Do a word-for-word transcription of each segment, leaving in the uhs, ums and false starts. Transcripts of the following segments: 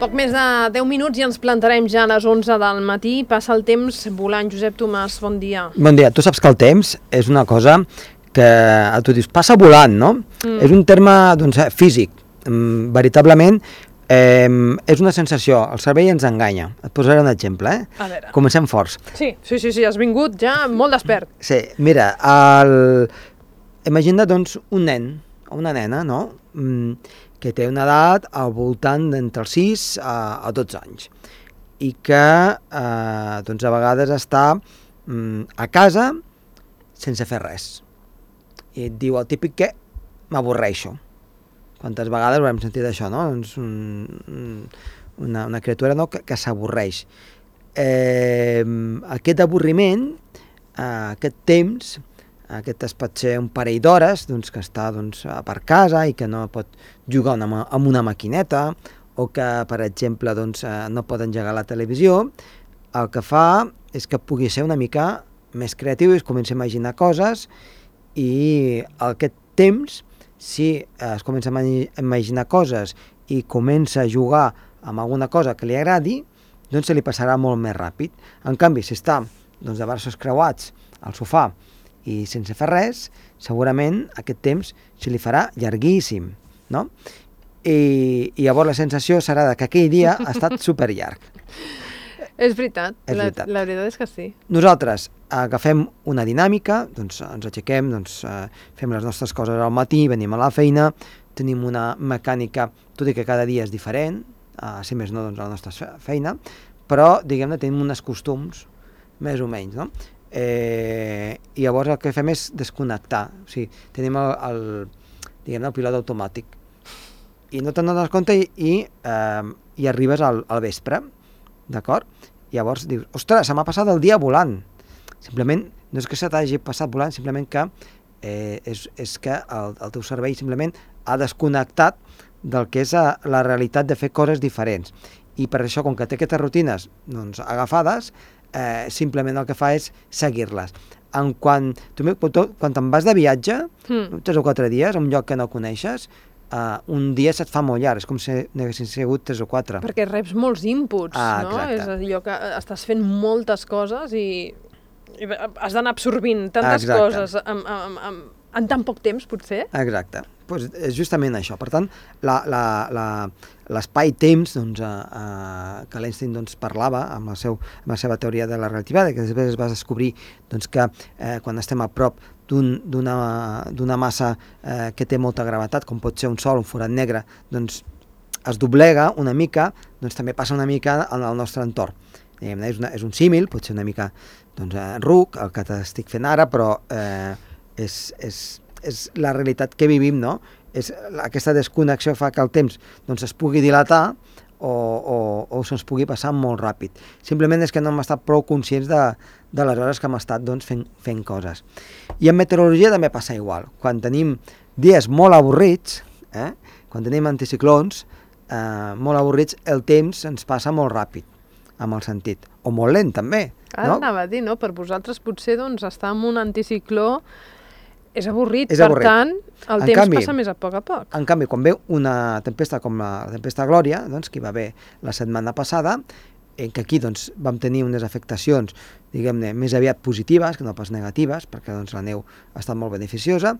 poc més de deu minuts i ens plantarem ja a les onze del matí. Passa el temps volant. Josep Tomàs, bon dia. Bon dia. Tu saps que el temps és una cosa que tu dius, passa volant, no? Mm. És un terme doncs, físic. Mm, veritablement eh, és una sensació. El cervell ens enganya. Et posaré un exemple, eh? A veure. Comencem forts. Sí, sí, sí, sí, has vingut ja molt despert. Sí, mira, el... imagina doncs un nen o una nena, no? Mm, que té una edat al voltant d'entre els sis a, a dotze anys i que eh, doncs a vegades està mm, a casa sense fer res i et diu el típic que m'avorreixo. Quantes vegades ho hem sentit això, no? Doncs un, una, una criatura, no? que, que s'avorreix. Eh, aquest avorriment, eh, aquest temps, aquest es pot ser un parell d'hores doncs, que està doncs, per casa i que no pot jugar una, amb una maquineta o que, per exemple, doncs, no pot engegar la televisió, el que fa és que pugui ser una mica més creatiu i es comença a imaginar coses i aquest temps, si es comença a imaginar coses i comença a jugar amb alguna cosa que li agradi, doncs se li passarà molt més ràpid. En canvi, si està doncs, de braços creuats al sofà i sense fer res, segurament aquest temps se li farà llarguíssim, no? I, i llavors la sensació serà que aquell dia ha estat superllarg. És veritat, és la, veritat. la veritat és que sí. Nosaltres agafem una dinàmica, doncs ens aixequem, doncs, eh, fem les nostres coses al matí, venim a la feina, tenim una mecànica, tot i que cada dia és diferent, eh, si més no, doncs, a la nostra feina, però, diguem-ne, tenim uns costums, més o menys, no? Eh, i llavors el que fem és desconnectar, o sigui, tenim el, el, diguem-ne, el pilot automàtic i no te'n dones compte i, i, eh, i arribes al, al vespre, d'acord? Llavors dius, ostres, se m'ha passat el dia volant. Simplement, no és que se t'hagi passat volant, simplement que eh, és, és que el, el teu cervell simplement ha desconnectat del que és a, la realitat de fer coses diferents. I per això, com que té aquestes rutines doncs, agafades, Eh, simplement el que fa és seguir-les. En quan, tu, quan te'n vas de viatge, mm. tres o quatre dies, a un lloc que no coneixes, eh, un dia se't fa molt llarg, és com si n'haguessin sigut tres o quatre. Perquè reps molts inputs, ah, no? Exacte. És allò que estàs fent moltes coses i, i has d'anar absorbint tantes exacte. coses amb, amb, amb, en tan poc temps, potser. Exacte. Pues és justament això. Per tant, l'espai-temps doncs, eh, eh, que l'Einstein doncs, parlava amb, el seu, amb la seva teoria de la relativitat, que després es va descobrir doncs, que eh, quan estem a prop d'una un, massa eh, que té molta gravetat, com pot ser un sol, un forat negre, doncs es doblega una mica, doncs també passa una mica en el nostre entorn. És, una, és un símil, pot ser una mica doncs, ruc, el que t'estic fent ara, però eh, és... és és la realitat que vivim, no? És, aquesta desconnexió fa que el temps doncs, es pugui dilatar o, o, o se'ns pugui passar molt ràpid. Simplement és que no hem estat prou conscients de, de les hores que hem estat doncs, fent, fent coses. I en meteorologia també passa igual. Quan tenim dies molt avorrits, eh? Quan tenim anticiclons, eh, molt avorrits, el temps ens passa molt ràpid, amb el sentit. O molt lent, també. Ara no? Anava a dir, no? Per vosaltres potser doncs, estar en un anticicló és avorrit, és per avorrit. tant, el en temps canvi, passa més a poc a poc. En canvi, quan ve una tempesta com la tempesta Glòria, doncs, que hi va haver la setmana passada, en què aquí doncs, vam tenir unes afectacions, diguem-ne, més aviat positives que no pas negatives, perquè doncs, la neu ha estat molt beneficiosa,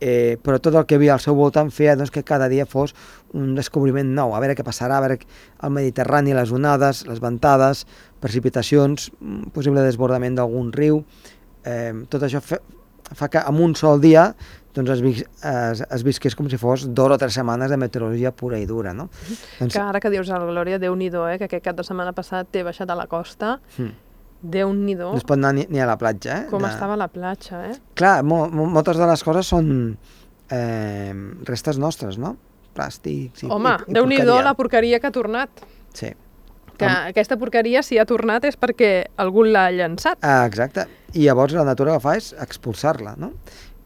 eh, però tot el que hi havia al seu voltant feia doncs, que cada dia fos un descobriment nou, a veure què passarà, a veure el Mediterrani, les onades, les ventades, precipitacions, possible desbordament d'algun riu, eh, tot això fe, fa que en un sol dia doncs es, vis, es, es visqués com si fos dues o tres setmanes de meteorologia pura i dura, no? Doncs... Que ara que dius el Glòria, Déu-n'hi-do, eh? Que aquest cap de setmana passat t'he baixat a la costa, mm. Déu-n'hi-do. No es pot anar ni, ni a la platja, eh? Com de... estava la platja, eh? Clar, mo, mo, moltes de les coses són eh, restes nostres, no? Plàstics i, Home, i, i Déu-n'hi-do la porqueria que ha tornat. Sí. Que Am... aquesta porqueria, si ha tornat, és perquè algú l'ha llençat. Ah, exacte. I llavors la natura que fa és expulsar-la, no?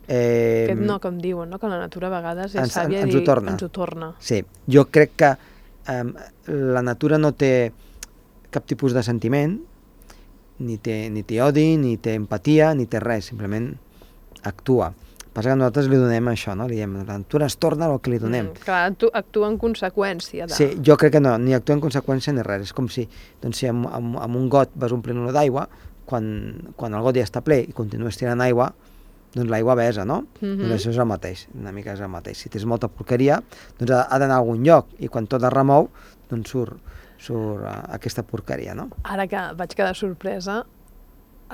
Eh... Aquest no, com diuen, no? Que la natura a vegades és ens, sàvia ens i ho torna. ens ho torna. Sí, jo crec que eh, la natura no té cap tipus de sentiment, ni té, ni té odi, ni té empatia, ni té res, simplement actua. Passa que nosaltres li donem això, no? Li diem, la natura es torna el que li donem. Mm, clar, actu actua en conseqüència. De... Sí, jo crec que no, ni actua en conseqüència ni res. És com si, doncs, si amb, amb, amb un got vas omplint-lo d'aigua, quan, quan el got ja està ple i continues tirant aigua, doncs l'aigua besa, no? Mm-hmm. Doncs això és el mateix, una mica és el mateix. Si tens molta porqueria, doncs ha, ha d'anar a algun lloc, i quan tot es remou, doncs surt, surt uh, aquesta porqueria, no? Ara que vaig quedar sorpresa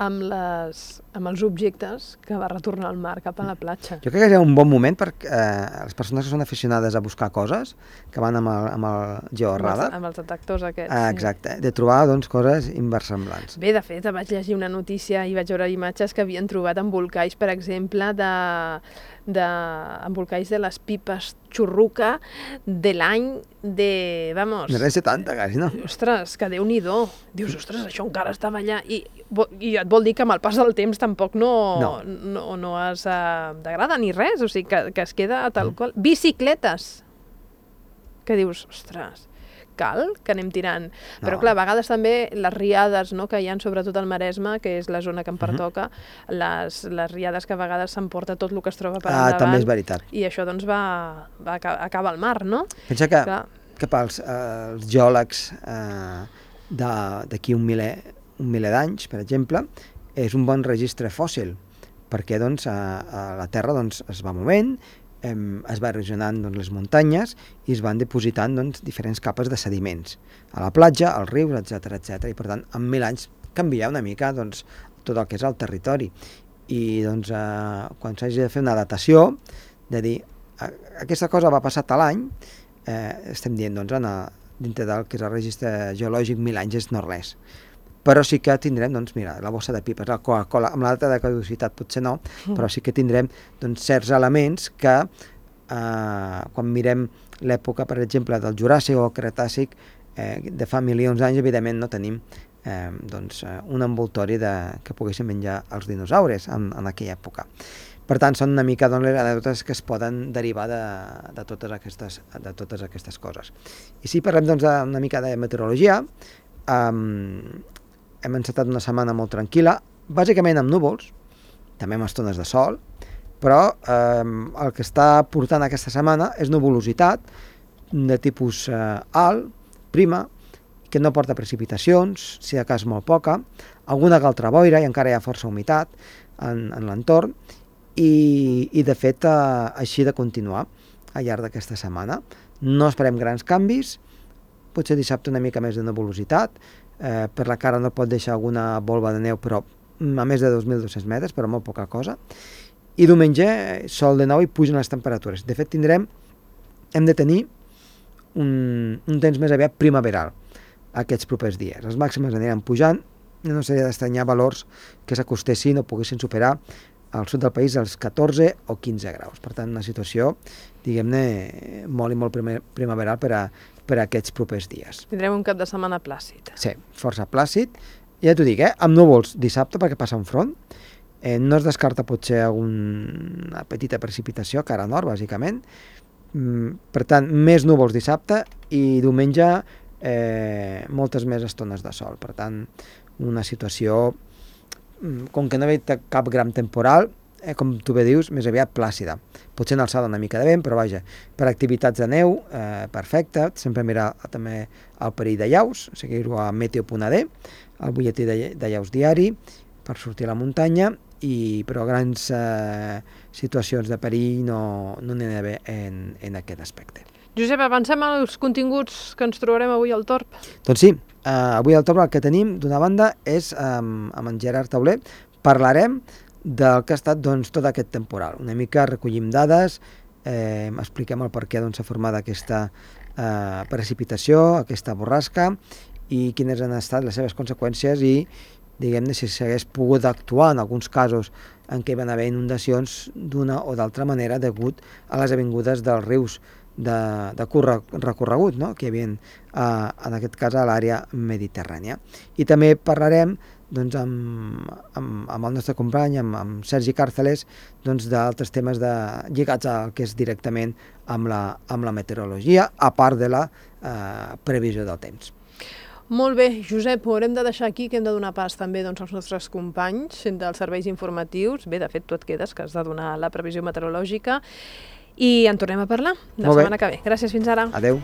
amb, les, amb els objectes que va retornar al mar cap a la platja. Jo crec que és un bon moment per eh, les persones que són aficionades a buscar coses, que van amb el, amb el georadar. Amb els detectors aquests. Ah, exacte, sí. De trobar doncs, coses inversemblants. Bé, de fet, vaig llegir una notícia i vaig veure imatges que havien trobat embolcalls, per exemple, de, de embolcalls de les pipes xurruca de l'any de... Vamos... De l'any setanta, quasi, no? Ostres, que Déu-n'hi-do. Dius, ostres, això encara estava allà. I, i et vol dir que amb el pas del temps tampoc no, no. no, no es uh, degrada ni res, o sigui, que, que es queda tal qual. Bicicletes! Que dius, ostres, cal que anem tirant. No. Però clar, a vegades també les riades, no, que hi ha sobretot al Maresme, que és la zona que em pertoca, uh-huh. les, les riades que a vegades s'emporta tot el que es troba per ah, endavant. També és veritat. I això doncs va, va acabar al mar, no? Pensa que, que pels eh, els geòlegs eh, d'aquí un miler, un miler d'anys, per exemple, és un bon registre fòssil, perquè doncs, a, a la Terra doncs, es va movent, eh, es va erosionant doncs, les muntanyes i es van dipositant doncs, diferents capes de sediments a la platja, als rius, etcètera, etcètera. I per tant, en mil anys canvia una mica doncs, tot el que és el territori. I doncs, eh, quan s'hagi de fer una datació, de dir, aquesta cosa va passar tal any, eh, estem dient, doncs, en a, dintre del que és el registre geològic, mil anys és no res. Però sí que tindrem, doncs, mira, la bossa de pipes, la Coca-Cola, amb la data de caducitat potser no, mm. però sí que tindrem doncs, certs elements que, eh, quan mirem l'època, per exemple, del Juràssic o Cretàcic, eh, de fa milions d'anys, evidentment no tenim eh, doncs, un envoltori de, que poguessin menjar els dinosaures en, en aquella època. Per tant, són una mica doncs, les anècdotes que es poden derivar de, de, totes aquestes, de totes aquestes coses. I si parlem doncs, una mica de meteorologia, um, hem encetat una setmana molt tranquil·la, bàsicament amb núvols, també amb estones de sol, però eh, el que està portant aquesta setmana és nuvolositat de tipus eh, alt, prima, que no porta precipitacions, si de cas molt poca, alguna altra boira i encara hi ha força humitat en, en l'entorn, i, i de fet eh, així de continuar al llarg d'aquesta setmana. No esperem grans canvis, potser dissabte una mica més de nuvolositat, Eh, per la cara no pot deixar alguna volva de neu, però a més de dos mil dos-cents metres, però molt poca cosa. I diumenge, sol de nou i pugen les temperatures. De fet, tindrem, hem de tenir un, un temps més aviat primaveral aquests propers dies. Les màximes aniran pujant, no seria d'estranyar valors que s'acostessin o poguessin superar al sud del país els catorze o quinze graus. Per tant, una situació, diguem-ne, molt i molt primaveral per a per a aquests propers dies. Tindrem un cap de setmana plàcid. Sí, força plàcid. Ja t'ho dic, eh? Amb núvols dissabte, perquè passa un front. Eh, no es descarta potser alguna petita precipitació, cara nord, bàsicament. Mm, per tant, més núvols dissabte i diumenge eh, moltes més estones de sol. Per tant, una situació, com que no hi ha cap gran temporal, eh, com tu bé dius, més aviat plàcida. Potser en alçada una mica de vent, però vaja, per activitats de neu, eh, perfecte, sempre mirar també el perill de llaus, seguir-ho a meteo punt a de, el butlletí de, de llaus diari, per sortir a la muntanya, i, però grans eh, situacions de perill no no n'hi ha d'haver en, en aquest aspecte. Josep, avancem als continguts que ens trobarem avui al Torb. Doncs sí, eh, avui al Torb el que tenim, d'una banda, és eh, amb en Gerard Tauler, parlarem del que ha estat doncs, tot aquest temporal. Una mica recollim dades, eh, expliquem el per què doncs, s'ha format aquesta eh, precipitació, aquesta borrasca, i quines han estat les seves conseqüències i, diguem-ne, si s'hagués pogut actuar en alguns casos en què hi van haver inundacions d'una o d'altra manera degut a les avingudes dels rius de, de recorregut, no? que hi havia, eh, en aquest cas, a l'àrea mediterrània. I també parlarem doncs, amb, amb, amb el nostre company, amb, amb Sergi Càrceles, doncs, d'altres temes de, lligats al que és directament amb la, amb la meteorologia, a part de la eh, previsió del temps. Molt bé, Josep, ho haurem de deixar aquí, que hem de donar pas també doncs, als nostres companys dels serveis informatius. Bé, de fet, tu et quedes, que has de donar la previsió meteorològica. I en tornem a parlar la setmana que ve. Gràcies, fins ara. Adéu.